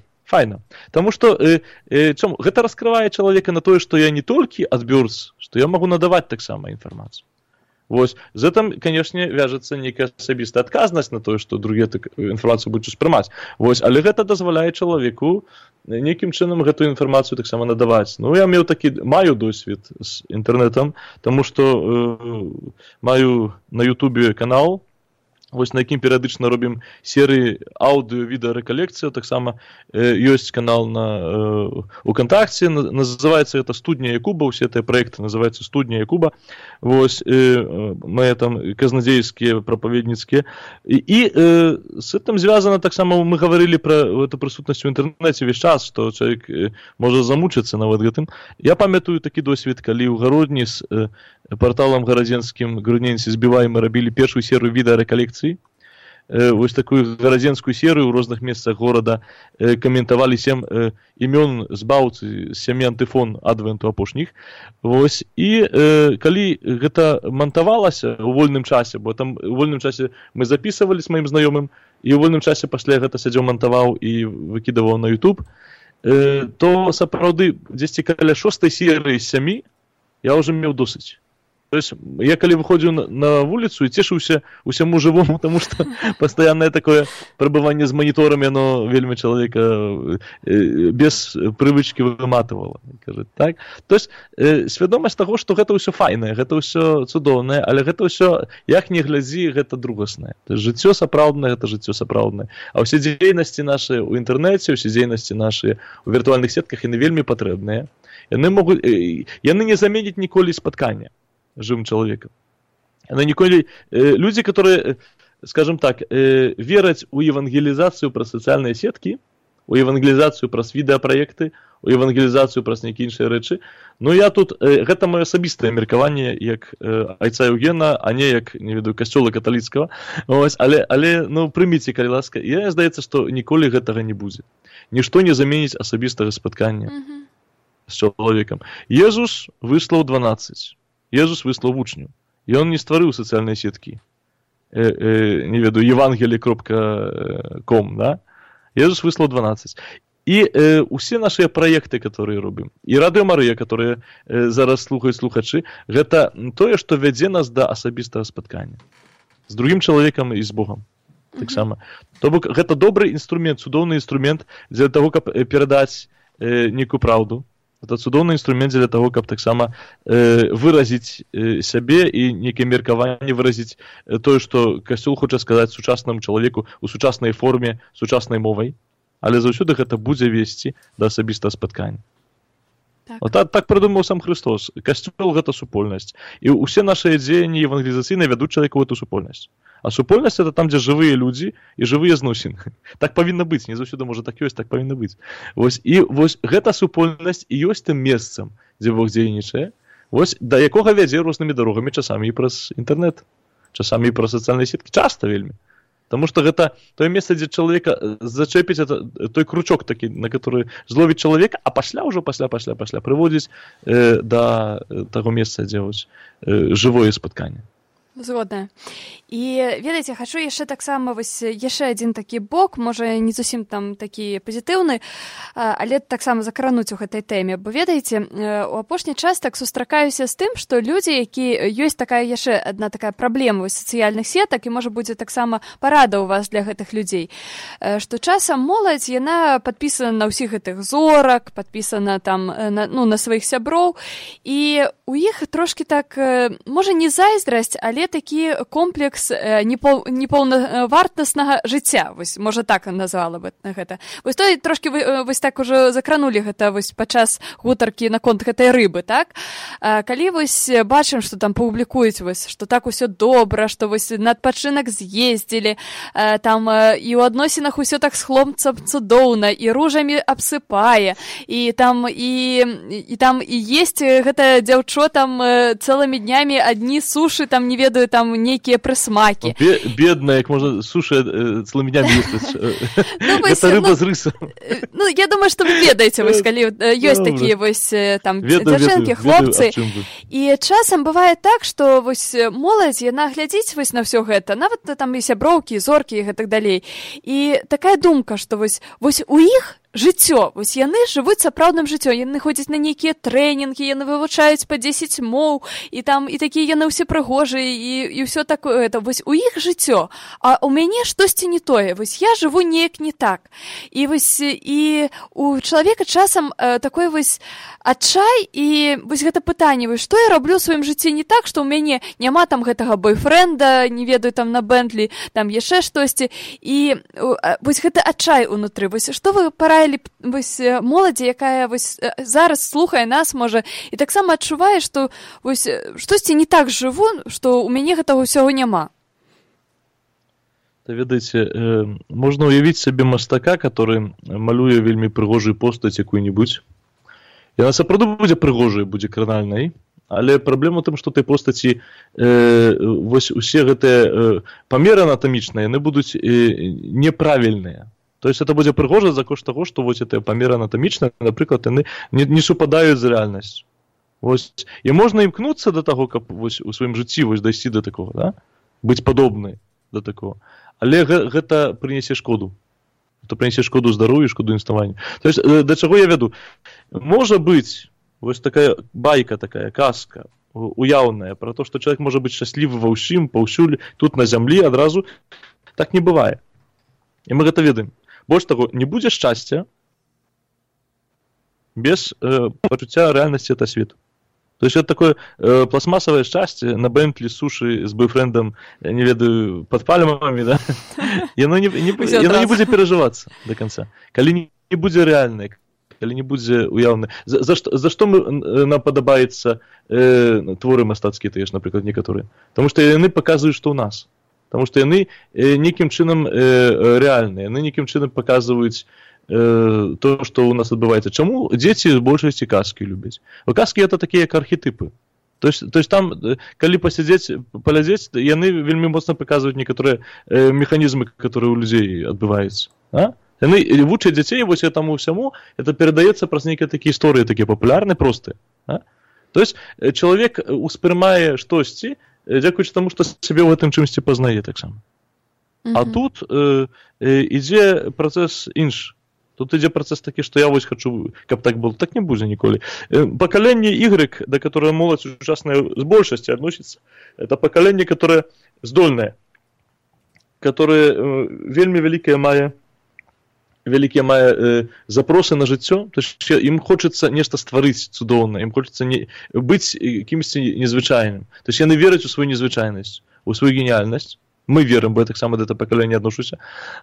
Таму што гэта раскрывае чалавека на тое, што я не толькі адбёрц, што я магу надаваць таксама інфармацыю. Вось. З гэтым, канешне, вяжацца нейкая асабістая адказнасць на тое, што другія інфармацыю будуць успрымаць. Вось. Але гэта дазваляе чалавеку нейкім чынам гэтую інфармацыю таксама надаваць. Ну, я маю досвед з інтэрнэтам, таму што маю на Ютубе канал, вось на якім перыядычна робім серыі аўдыё-відэарэкалекцыі, таксама ёсць канал у ВКонтакце, называецца гэта «Студня Якуба», усе гэтыя праекты называюцца «Студня Якуба», вось, мы там казнадзейскія, прапаведніцкія, і з гэтым звязана таксама, мы гаварылі пра эту прысутнасць у інтэрнэце весь час, што чалавек можа замучыцца нават гэтым. Я памятаю такі досвед, калі ў Гародні з парталам гарадзенскім «Грудненці збіваем» мы рабілі першую серыю відэарэкалекцый. Вось такую гарадзенскую серыю ў розных месцах горада каментавалі 7 імён збаўцы, 7 антыфон адвенту апошніх. Вось. І калі гэта мантавалася ў вольным часе, бо там у вольным часе мы запісывалі з маім знаёмым, і ў вольным часе пасля гэта сядзеў, мантаваў і выкідаваў на YouTube, то сапраўды дзесьці каля 6-й серыі з 7 я ўжо меў досыць. есть я калі выходзіў на вуліцу і цешыўся усяму жывому, тому што пастаяннае такое прабыванне з маніторам, яно вельмі чалавека без прывычкі выматывала. Так? То есть свядомасць таго, што гэта ўсё файнае, гэта ўсё цудоўнае, але гэта ўсё, як не глядзі, гэта другаснае. Жыццё сапраўднае, гэта жыццё сапраўднае. А ўсе дзейнасці нашыя ў інтэрнэце, ўсе дзейнасці нашыя ў віртуальных сетках, яны вельмі патрэбныя. Яны не заменяць ніколі спаткання живым человеком. Люди, которые, скажем так, верят у евангелизацию про социальные сетки, у евангелизацию про відеопроекты, у евангелизацию про некие іншыя рэчы. Но я тут, гэта моё асабістае меркаванне як айца Еўгена, а не як, не ведаю, касцёла каталіцкага. Але ну, прыміце, калі ласка. Я здаецца, што ніколі гэтага не будзе. Нішто не заменіць асабістага спаткання з чалавекам. Езус выслаў 12. Езус выслаў вучню. І он не стварыў сацыяльныя сеткі. Не ведаю, евангелие.com, да? Езус выслаў 12. І усе нашыя праекты, которые робім, і Радыё Марыя, которые зараз слухаюць слухачы, гэта тое, што вядзе нас да асабістага спаткання з другім чалавекам і з Богам. Таксама. То бок гэта добры інструмент, цудоўны інструмент для таго, каб перадаць нейкую праўду. Это цудоўны інструмент для таго, каб таксама выразіць сябе і нейкае меркаванне выразіць тое, што касцёл хоча сказаць сучаснаму чалавеку ў сучаснай форме, сучаснай мовай, але заўсёды гэта будзе весці да асабістага спаткання. Так прыдумаў сам Христос. Касцёл гэта супольнасць. І ўсе нашыя дзеянні евангелізацыйныя вядуць чалавека ў эту супольнасць. А супольнасць это там, дзе жывыя людзі і жывыя зносіны. Так павінна быць, не заўсёды можа так ёсць, так павінна быць. І вось гэта супольнасць і ёсць тым месцам, дзе Бог дзейнічае, вось да якога вядзе рознымі дарогамі, часамі і праз інтэрнэт, часамі і праз сацыяльныя сеткі, часта вельмі. Таму што гэта тое месца, дзе чалавека зачэпіць той кручок такі, на который зловіць чалавека, а пасля прыводзіць да таго месца, дзе вось жывое спатканне. Згодная. І, ведаеце, хачу яшчэ таксама вось яшчэ адзін такі бок, можа, не зусім там такі пазітыўны, але таксама закрануць у гэтай тэме. Бо, ведаеце, у апошні час так сустракаюся з тым, што людзі, які ёсць такая яшчэ адна такая праблема вось сацыяльных сетак, і, можа, будзе таксама парада ў вас для гэтых людзей, што часам моладзь, яна падпісана на ўсіх гэтых зорак, падпісана там на сваіх сяброў, і у іх трошкі так, можа, не зайздрасць, але такі комплекс непаўнавартаснага жыцця, вось, можа, так назвала бы гэта. Вось той трошкі вось так ужо закранулі гэта вось падчас гутаркі наконт гэтай рыбы, так? Калі вось бачым, што там публікуюць вось, што так усё добра, што вось на адпачынак з'ездзілі, там і ў адносінах усё так з хлопцам цудоўна, і ружамі абсыпае, і там есць гэта дзяўчо там цэлымі днямі адні сушы, там не ведаю, там нейкія прысмакі. Бедная, як можна сушы цэлымі днямі есць. Гэта рыба з рысам. Ну, я думаю, што вы ведаеце, вось, калі ёсць такія вось там дзяўчынкі, хлопцы. І часам бывае так, што вось моладзь, яна глядзіць вось на ўсё гэта, нават там і сяброўкі, і зоркі, і гэтак далей. І такая думка, што вось у іх жыццё, вось яны жывуць сапраўдным жыццём, яны ходзяць на нейкія трэнінгі, яны вывучаюць па 10 моў, і там і такія яны ўсе прыгожыя, і ўсё такое, вось у іх жыццё, а у мяне штосьці не тое, вось я жыву неяк не так. І вось і у чалавека часам такой вось адчай, і вось гэта пытанне, вось што я раблю ў сваім жыцці не так, што ў мяне няма там гэтага бойфрэнда, не ведаю, там на Бентлі, там яшчэ штосьці, і вось гэта адчай унутры, вось што вы параілі вось моладзі, якая вось зараз слухае нас, можа, і таксама адчувае, што вось штосьці не так жыву, што ў мяне гэтага ўсяго няма. Ведаеце, можна ўявіць сабе мастака, который малюе вельмі прыгожую постаць якую-небудзь. Яна сапраўды будзе прыгожай, будзе кранальнай, але праблема ў тым, што той постаці вось усе гэтыя памеры анатамічныя, яны будуць неправільныя. То есть это будзе прыгожа за кошт таго, што вось гэтыя памеры анатамічныя, напрыклад, яны не супадаюць з рэальнасцю. Вось. І можна імкнуцца да таго, каб вось у сваім жыцці вось дайсці да такога, да? Быць падобнай да такого. Але гэта прынясе шкоду. Это прынясе шкоду здароўю, шкоду існаванню. То есть да чаго я вяду? Можа быць вось такая байка, такая казка уяўнае, пра то, што чалавек можа быць шчаслівы ва ўсім, паўсюль, тут на зямлі адразу, так не бывае. І мы гэта ведаем. Больш таго, не будзе шчасця без пачуцця рэальнасці этого свету. То есть это такое пластмассовое счастье на Бентли с суши с бойфрендом, не ведаю, под пальмами, да? И оно не будет переживаться до конца. Коли не будет реальное, коли не будет уявное. За что нам подобается творы мастацкие, то есть, например, некоторые? Потому что они показывают, что у нас. Потому что они неким чином реальные, они неким чином показывают то, что у нас адбываецца. Чаму дзеці з большасці казкі любяць? Казкі это такія як архетипы. То есть там, калі пасядзець, паглядзець, яны вельмі моцна паказваюць некаторыя механізмы, которые у людзей адбываюцца. Яны вучаць дзяцей вось этому всему, это перадаецца праз нейкія такія гісторыі, такія папулярныя, простыя. То есть чалавек успрымае штосьці, дзякуючы таму, што сябе ў гэтым чымсьці пазнае таксама. А тут ідзе працэс іншы. Тут ідзе працэс такі, што я вось хачу, каб так было. Так не будзе ніколі. Пакаленне Y, да которое моладзь сучасная з большасці адносіцца, это пакаленне, которое здольнае, которое вельмі вялікія мае запросы на жыццё, то есть ім хочацца нешта стварыць цудоўнае, ім хочацца быць кімсьці незвычайным. То есть яны вераць у сваю незвычайнасць, у сваю геніяльнасць. Мы верым, бо я так само до этого пакалення адношуся.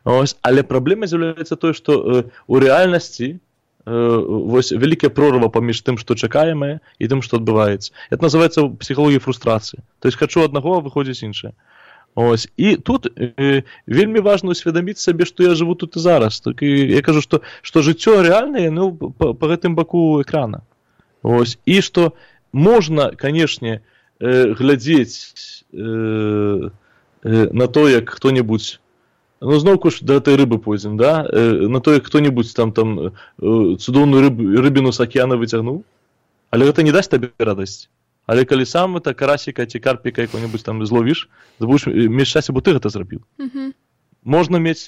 Але праблема з'яўляецца тое, што у рэальнасці вось вялікая прорва паміж тым, што чакаемае, і тым, што адбываецца. Это называецца псіхалогія фрустрацыі. То есть хачу аднаго, а выходзіць іншае. І тут вельмі важна усведаміць сабе, што я жыву тут і зараз. Я кажу, што жыццё рэальнае па гэтым баку экрана. І што можна, канешне, глядзець на то, як хто-небудзь, зноўку ж да этой рыбы пойдзем, да? На то, як хто-небудзь там цудоўную рыбіну з акіяна выцягнуў, але гэта не дасць табе радасць. Але калі сам карасіка ці карпіка якого-небудзь там зловіш, ты будзеш мець шчасце, бо ты гэта зрабіў. Можна мець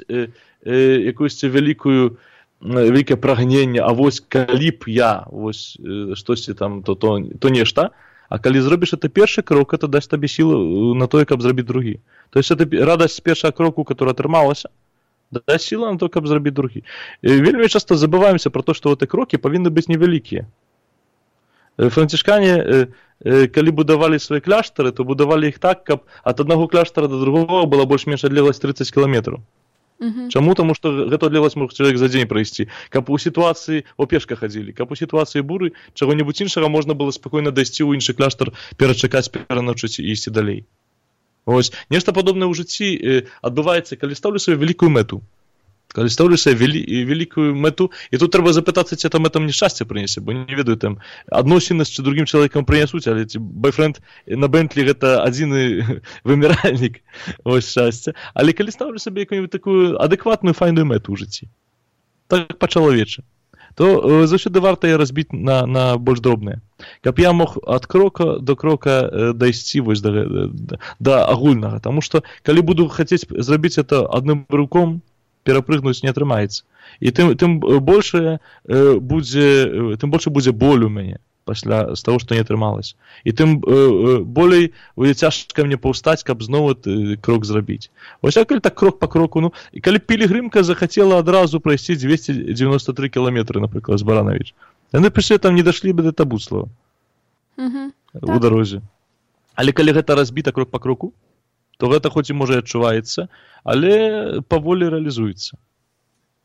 якусь вялікае прагненне, а вось калі б я штосьці там, то нешта, а калі зробіш это першы крок, это дасць табе сілу на тое, каб зрабіць другі. То есть это радасць першага кроку, которая атрымалася, дасць сіла на то, каб зрабіць другі. Вельмі часто забываемся про то, што гэты крокі павінны быць невялікія. Францішкане, калі будавалі свае кляштары, то будавалі іх так, каб ад аднаго кляштара да другого была больш-менш адлегласць 30 кіламетраў. Чаму? Таму што гэту адлегласць мог чалавек за дзень прайсці. Каб у сітуацыі пешка хадзілі, каб у сітуацыі буры чаго-небудзь іншага можна было спакойна дайсці ў іншы кляштар, перачакаць, пераначыць і ісці далей. Нешта падобнае ў жыцці адбываецца, калі стаўлю сваю вялікую мэту. Калі стаўлю сваю вялікую мэту, і тут трэба запытацца, ці эта мэта мне шчасце прынесе, бо не ведаю, там адносіны з другім чалавекам прынясуць, але ці бойфренд на Бентлі гэта адзіны выміральнік шчасця. Але калі стаўлю сабе якую-нибудь такую адэкватную файную мэту ў жыцці, так па-чалавечы, то заўсёды варта яе разбіць на больш дробныя. Каб я мог ад крока до крока дайсці вось да агульнага. Таму што калі буду хацець зрабіць это адным руком, перапрыгнуць не атрымаецца. І тым больше будзе боль у мяне пасля з таго, што не атрымалася. І тым болей будзе цяжка мне паўстаць, каб зноў крок зрабіць. Вось калі так крок па кроку, і калі пілігрымка захацела адразу прайсці 293 кіламетры, напрыклад, з Баранович. Яны прыйшлі там не дашлі бы да Табуцлава у дарозе. Але калі гэта разбіта крок па кроку, то гэта хоць і можа адчуваецца, але паволі рэалізуецца.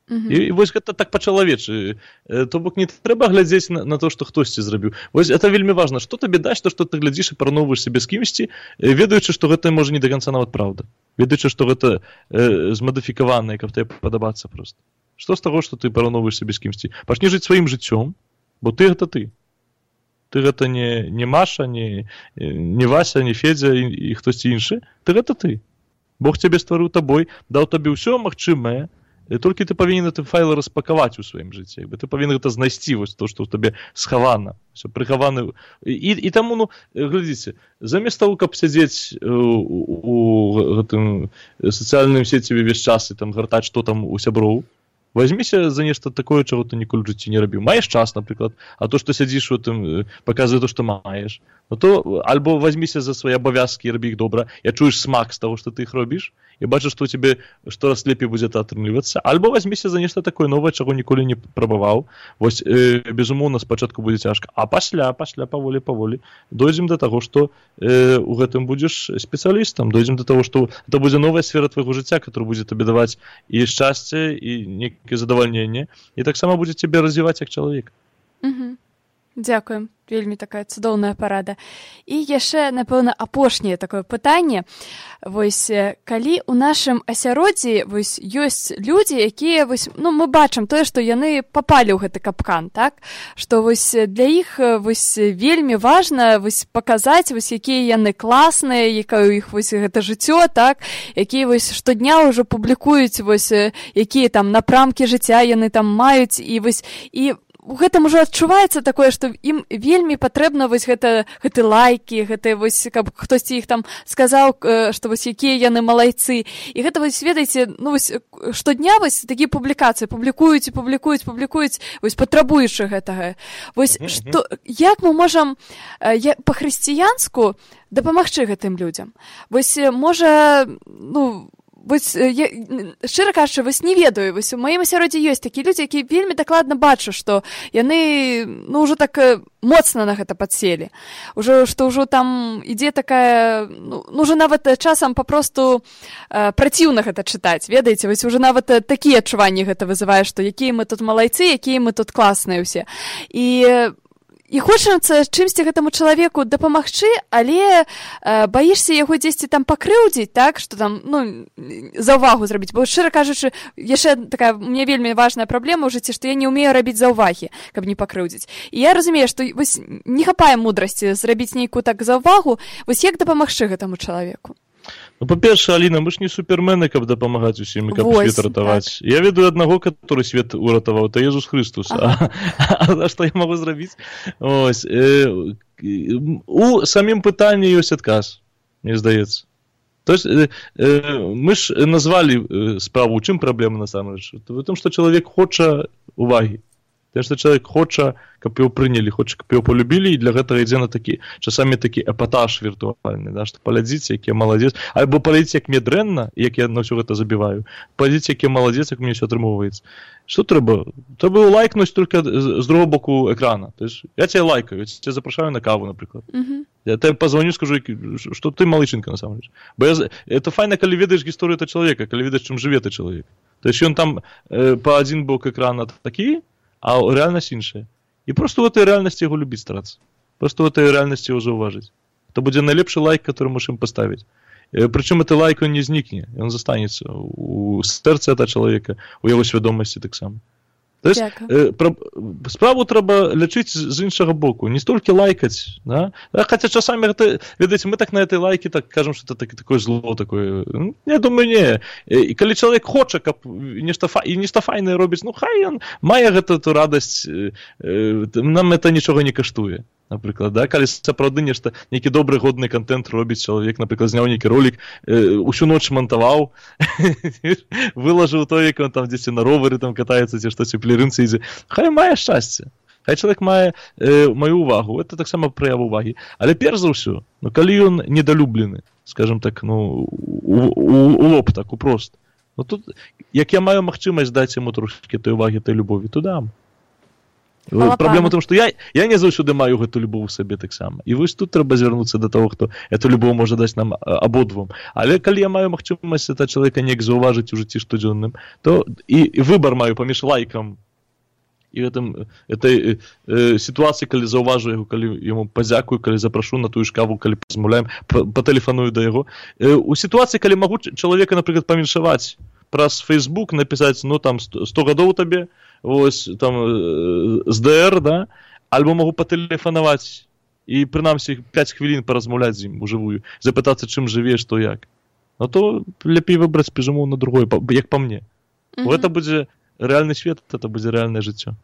І вось гэта так па-чалавечы. То бок не трэба глядзець на то, што хтосьці зрабіў. Вось это вельмі важна. Што табе дасць, то, што ты глядзіш і параўноўваеш сябе з кімсьці, ведаючы, што гэта можа не да канца нават праўда. Ведаючы, што гэта змадыфікаванае, каб тебе падабацца проста. Што з таго, што ты параўноўваеш сябе з кімсьці? Пачні жыць сваім жыццём, бо ты гэта ты. Ты гэта не Маша, не Вася, не Федзя і хтосьці іншы. Ты гэта ты. Бог цябе стварыў табой, даў табе ўсё магчымае, толькі ты павінен гэты файл распакаваць у сваім жыцці. Ты павінен гэта знайсці, вось то, што ў табе схавана, ўсё прыхавана. І таму, глядзіце, замест таго, каб сядзець у гэтым сацыяльным сеціве ўвесь час і там гартаць, што там у сяброў, Возьмися за нешта такое, чаго ты ніколі ў жыцці не рабіў. Маеш час, напрыклад, а то, што сядзіш у тым, паказвае то, што маеш. Ну то альбо возьмися за свае абавязкі і рабі іх добра, і чуеш смак з таго, што ты іх робіш, і бачыш, што ў цябе штораз лепей будзе это атрымлівацца, альбо возьмися за нешта такое новае, чаго ніколі не прабаваў. Вось, безумоўна, спачатку будзе цяжка, а пасля, паволі дойдзем да таго, што у гэтым будзеш спецыялістам, дойдзем да таго, што это будзе новая сфера твайго жыцця, которая будзе табе даваць і шчасце, і некае задавальненне, і таксама будзе цябе развіваць як чалавек. Дзякуем. Вельмі такая цудоўная парада. І яшчэ, напэўна, апошняе такое пытанне. Вось, калі ў нашым асяроддзі вось, ёсць людзі, якія, вось, ну, мы бачым тое, што яны папалі ў гэты капкан, так? Што вось, для іх вось, вельмі важна вось, паказаць, вось, якія яны класныя, якое ў іх вось, гэта жыццё, так? Якія вось, штодня ўжо публікуюць, вось, якія там напрамкі жыцця яны там маюць, і вось, і у гэтым ужо адчуваецца такое, што ім вельмі патрэбна вось гэты лайкі, гэта вось, каб хтосьці іх там сказаў, што вось якія яны малайцы. І гэта вось, ведаеце, ну вось штодня вось такія публікацыі публікуюць, вось патрабуючы гэтага. Вось што, як мы можам па-хрысціянску дапамагчы гэтым людзям? Вось можа, ну, вось, я, шчыра кажучы, вось не ведаю, вось у маім асяроддзі ёсць такія людзі, якія вельмі дакладна бачу, што яны, ну, ўжо так моцна на гэта падселі. Што ўжо там ідзе такая, ну, ўжо нават часам папросту праціўна гэта чытаць, ведаеце, вось уже нават такія адчуванні гэта вызывае, што якія мы тут малайцы, якія мы тут класныя ўсе. І хочацца чымсьці гэтаму чалавеку дапамагчы, але баішся яго дзесьці там пакрыўдзіць, так, што там, ну, заўвагу зрабіць. Бо, шчыра кажучы, яшчэ такая, мне вельмі важная праблема ў жыцці, што я не ўмею рабіць заўвагі, каб не пакрыўдзіць. І я разумею, што вось не хапае мудрасці зрабіць нейкую так заўвагу, вось як дапамагчы гэтаму чалавеку? Ну, па-першае, Аліна, мы ж не супермены, каб дапамагаць усім, каб свет ратаваць. Так. Я ведаю аднаго, который свет уратаваў, это Езус Христус. А што я магу зрабіць? Ось, у самім пытанні ёсць адказ, мне здаецца. То есть, мы ж назвалі справу, у чым праблема насамрэч? В том, што чалавек хоча увагі. Тое, што чалавек хоча, каб яго прынялі, хоча, каб яго полюбілі, і для гэтага ідзе на такі, часамі такі эпатаж віртуальны, да, што паглядзіце, які я маладзец, альбо паглядзіце, як мне дрэнна, як я на ўсё гэта забіваю, паглядзіце, які я маладзец, як мне ўсё атрымоўваецца. Што трэба? Трэба лайкнуць толькі з другого боку экрана. То есть, я цябе лайкаю, я цябе запрашаю на каву, напрыклад. Я тебе позвоню, скажу, што ты малычынка, насамрэч. Бо это файна, калі ведаеш гісторыю этого чалавека, калі ведаеш, чым жыве той чалавек. То есть, ён там па адзін бок экрана такі, а реальность іншая. І просто в этой реальности его любить стараться. Просто в этой реальности его зауважить. Это будет наилепший лайк, который можем поставить. Причем этот лайк, он не зникне, он застанется у сердца этого человека, у его свідомості так само. Тобто, справу треба лічити з іншого боку, не стільки лайкати, да? Хоча часами, видите, ми так на этой лайки так кажемо, що це таке зло, таке. Я думаю, ні. І коли чоловік хоче, і нешта файне робить, ну хай він має гэту радость, нам це нічого не коштує. Наприклад, да? Калі сапраўды нешта, нейкі добры, годны контент робіць чалавек, наприклад, зняў нейкі ролик, усю ноч монтаваў, вылажыў то, як он там дзесьці на ровары там катаецца, ці штось у плерынцы ідзе. Хай мае шчасце. Хай чалавек мае маю увагу. Это таксама праява увагі. Але перш за ўсё, ну, калі ён недалюблены, скажем так, ну, у лоб, так, упрост. Ну, тут, як я маю магчымасць даць яму трошкі той увагі, той любові, то дам. Праблема ў том, што я не заўсёды маю гэту любоў у сабе таксама. І вось тут трэба звярнуцца да таго, хто эту любоў можа даць нам абодвум. Але калі я маю магчымасць этого чалавека неяк заўважыць у жыцці штодзённым, то і выбар маю паміж лайкам і этой сітуацыі, калі заўважу яго, калі яму падзякую, калі запрашу на тую ж каву, калі пазмаўляем, патэлефаную да яго. У сітуацыі, калі магу чалавека, напрыклад, паміншаваць праз Facebook, напісаць, ну, там, 100 гадоў табе, ось, там, з ДР, да, альбо могу патэлефанаваць і, прынамсі, 5 хвілін паразмаўляць з ім ужывую, запытацца, чым жыве, што як. Ну, то лепей выбраць, безумоўна, другое, як па мне. Гэта будзе рэальны свет, это будзе рэальнае жыццё.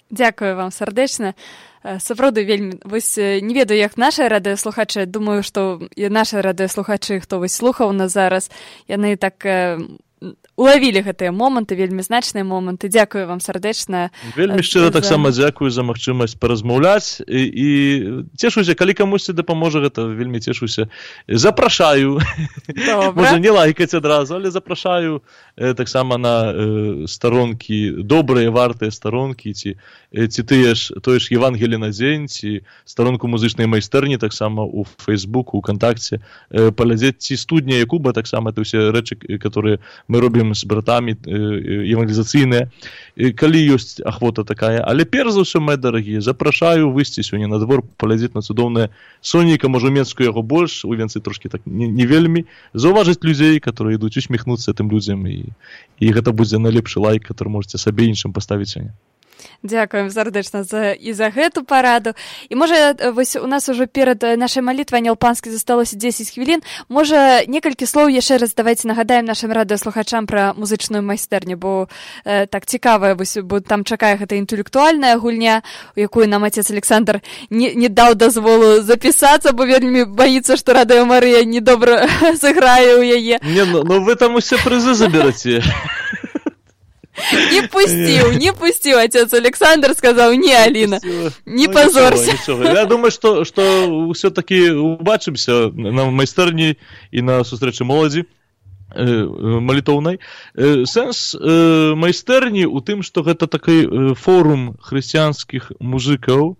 Дзякую вам сардэчна. Сапраўды вельмі, вось не ведаю, як нашы радыёслухачы, думаю, што і нашы радыёслухачы, хто вось слухаў нас зараз, яны так улавілі гэтыя моманты, вельмі значныя моманты. Дзякую вам сардэчна. Вельмі шчыра таксама дзякую за магчымасць паразмаўляць і цешуся, калі камусьці дапаможа гэта, вельмі цешуся. Запрашаю. Можа не лайкаць адразу, але запрашаю таксама на старонкі, добрыя, вартыя старонкі, ці тое ж Евангелие на дзень, ці старонку музычнай майстэрні таксама у Фейсбуку, у Контакце, паглядзець ці студня Якуба таксама, это ўсе рэчы, которые мы робім з братамі евангелізацыйныя, калі ёсць ахвота такая. Але перш за ўсё, мои дарагія, запрашаю выйсці сёння на двор, паглядзець на цудоўнае сонейка, можа Менскую яго больш, у Венцы трошки так не вельмі, заўважыць людзей, которые ідуць, усміхнуцца тым людзям, і гэта будзе найлепшы лайк, который можете сабе іншым паставіць сёння. Дзякуем сардэчна за гэту параду. І можа, вось у нас ужо перад нашай малітвай Анел Панскі засталося 10 хвілін. Можа, некалькі слоў яшчэ раз давайце нагадаем нашым радыёслухачам пра музычную майстэрню, бо так цікава, бо там чакае гэта інтэлектуальная гульня, у якую нам отец Александр не даў дазволу запісацца, бо вельмі баіцца, што Радыё Марыя недобра сыграе ў яе. Ну вы там усе прызы забераце. Не пустил отец Александр, сказал, не, Алина, не позорься. Я думаю, что все-таки убачимся на майстэрні і на сустрэчы моладзі малітоўнай. Сэнс майстэрні у тым, што гэта такі форум хрысціянскіх музыкаў,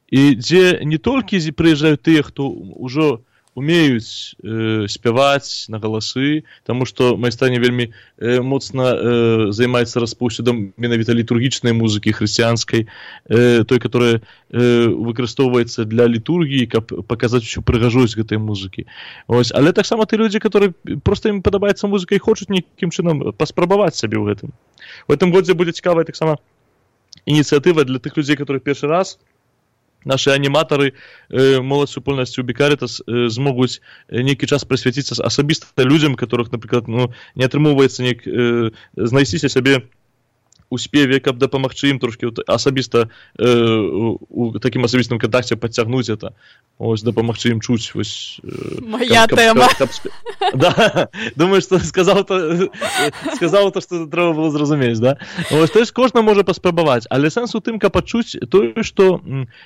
і дзе не толькі прыязджаюць тыя, хто ўжо умеюць спяваць на галасы, таму што майстэрня вельмі моцна займаецца распаўсюдам менавіта літургічнай музыкі хрысціянскай, той, которая выкарыстоўваецца для літургіі, каб паказаць усю прыгажосць гэтай музыкі. Ось, але таксама ты людзі, которые проста ім падабаецца музыка і хочуць нейкім чынам паспрабаваць сабе ў гэтым. У гэтым годзе будзе цікавая таксама ініцыятыва для тых людзей, которые першы раз. Наши аниматоры, моладзь супольнасці ў Бікарітас змогуць нейкі час прысвяціцца асабіста людзям, которых, напрыклад, не атрымоўваецца знайсціся сабе у спеве, каб дапамагчы ім трошки асабіста у такім асабістым кантакце падцягнуць это, ось дапамагчы ім чуць, вось моя тэма. Да, думаю, што сказаў то, што трэба было зразумець, да? Ось, то есть кожны можа паспрабаваць, але сэнс у тым, каб пачуць тое, што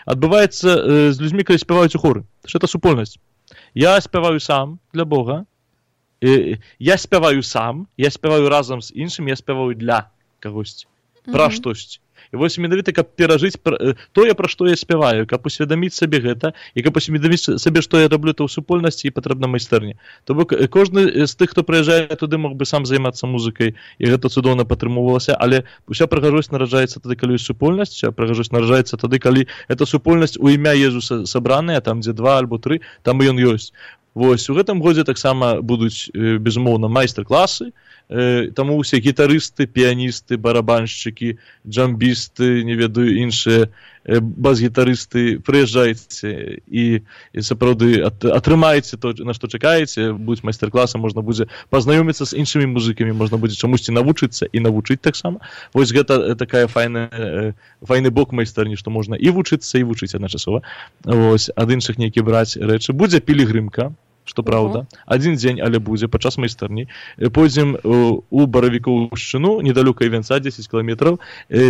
адбываецца з людзьмі, калі спяваюць у хоры. Што это супольнасць. Я спяваю сам для Бога, я спяваю сам, я спяваю разам з іншым, я спяваю для кагосьці. Пра штосьці. І вось менавіта, каб перажыць тое, пра што я спяваю, каб усведаміць сабе гэта, і каб усведаміць сабе, што я раблю то ў супольнасці, і патрэбна майстэрня. То бок кожны з тых, хто прыязджае туды, мог бы сам займацца музыкай, і гэта цудоўна падтрымоўвалася, але уся прыгажосць нараджаецца тады, калі ёсць супольнасць, уся прыгажосць нараджаецца тады, калі эта супольнасць у імя Езуса сабраная, там, дзе 2 альбо 3, там ён ёсць. Вось, у гэтым годзе таксама будуць, безумоўна, майстар-класы, таму ўсе гітарысты, піяністы, барабаншчыкі, джамбісты, не ведаю, іншыя бас-гітарысты, прыязджайце і сапраўды атрымайце то, на што чакаеце, будуць майстар-класы, можна будзе пазнаёміцца з іншымі музыкамі, можна будзе чамусьці навучыцца і навучыць таксама. Вось гэта такая файны бок майстэрні, што можна і вучыцца, і вучыць адначасова. Вось, ад іншых нейкі браць рэчы. Будзе пілігрымка, што праўда, адзін дзень, але будзе падчас майстэрні. Пойдзем у Баравікоўшчыну, недалёка Івенца, 10 кіламетраў.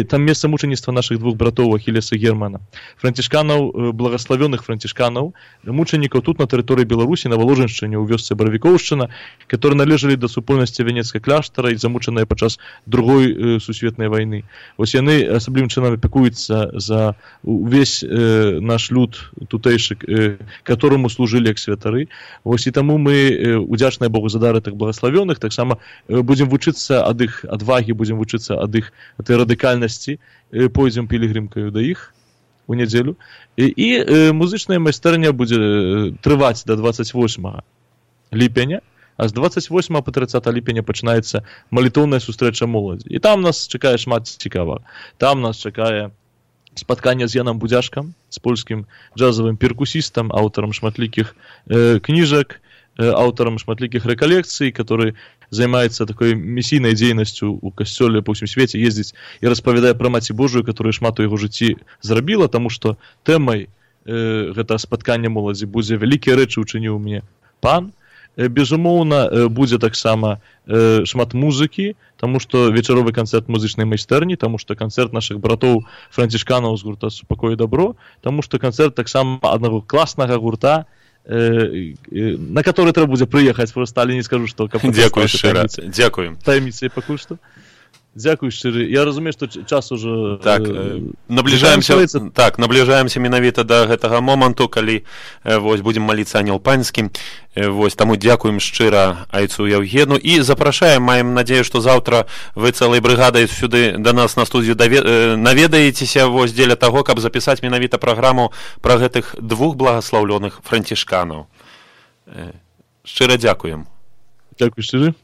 Там месца мучаніцтва нашых двух братоў Ахілеса і Германа. Францішканаў, благаславёных францішканаў, мучанікаў тут на тэрыторыі Беларусі, на Валожыншчыне, ў вёсцы Баравікоўшчына, которые належалі да супольнасці Венецкай кляштара і замучаныя падчас Другой сусветнай вайны. Вось яны асаблівым чынам апякуюцца за увесь наш люд тутэйшы, которому служылі як святары. Вось і таму мы удзячныя Богу за дар гэтых благаславёных, таксама будзем вучыцца ад іх адвагі, будзем вучыцца ад іх атай радыкальнасці, пойдзем пілігрымкаю да іх у нядзелю. І музычная майстэрня будзе трываць да 28 ліпеня, а з 28 по 30 ліпеня пачынаецца малітоўная сустрэча моладзі. І там нас чакае шмат цікавага. Там нас чакае спатканне з Янам Будзяшкам, з польскім джазавым перкусістам, аўтарам шматлікіх кніжак, аўтарам шматлікіх рэкалекцый, который займаецца такой місійнай дзейнасцю ў касцёле па ўсім свеце, ездзіць і распавядае пра Маці Божую, которая шмат у яго жыцці зрабіла, таму што тэмай гэта спаткання моладзі будзе вялікія рэчы учыніў мне пан. Безумоўна, будзе таксама шмат музыкі, таму што вечаровы канцэрт музычнай майстэрні, таму што канцэрт нашых братоў францішканаў з гурта «Супакой і дабро», таму што канцэрт таксама аднаго класнага гурта, на который трэба будзе прыехаць, проста, але не скажу, што... Дзякуй шчыра, дзякуй. Таямніцай пакуль што. Дзякуй шчыры. Я разумею, што час ужо... Так, набліжаемся менавіта да гэтага моманту, калі будзем маліцца Анёл Панскі. Таму дзякуем шчыра айцу Яўгену і запрашаем, маем надзею, што заўтра вы цэлай брыгадай сюды да нас на студыю наведаецеся дзеля таго, каб запісаць менавіта праграму пра гэтых двух благаслаўлёных францішканаў. Шчыра дзякуем. Дзякуй шчыры.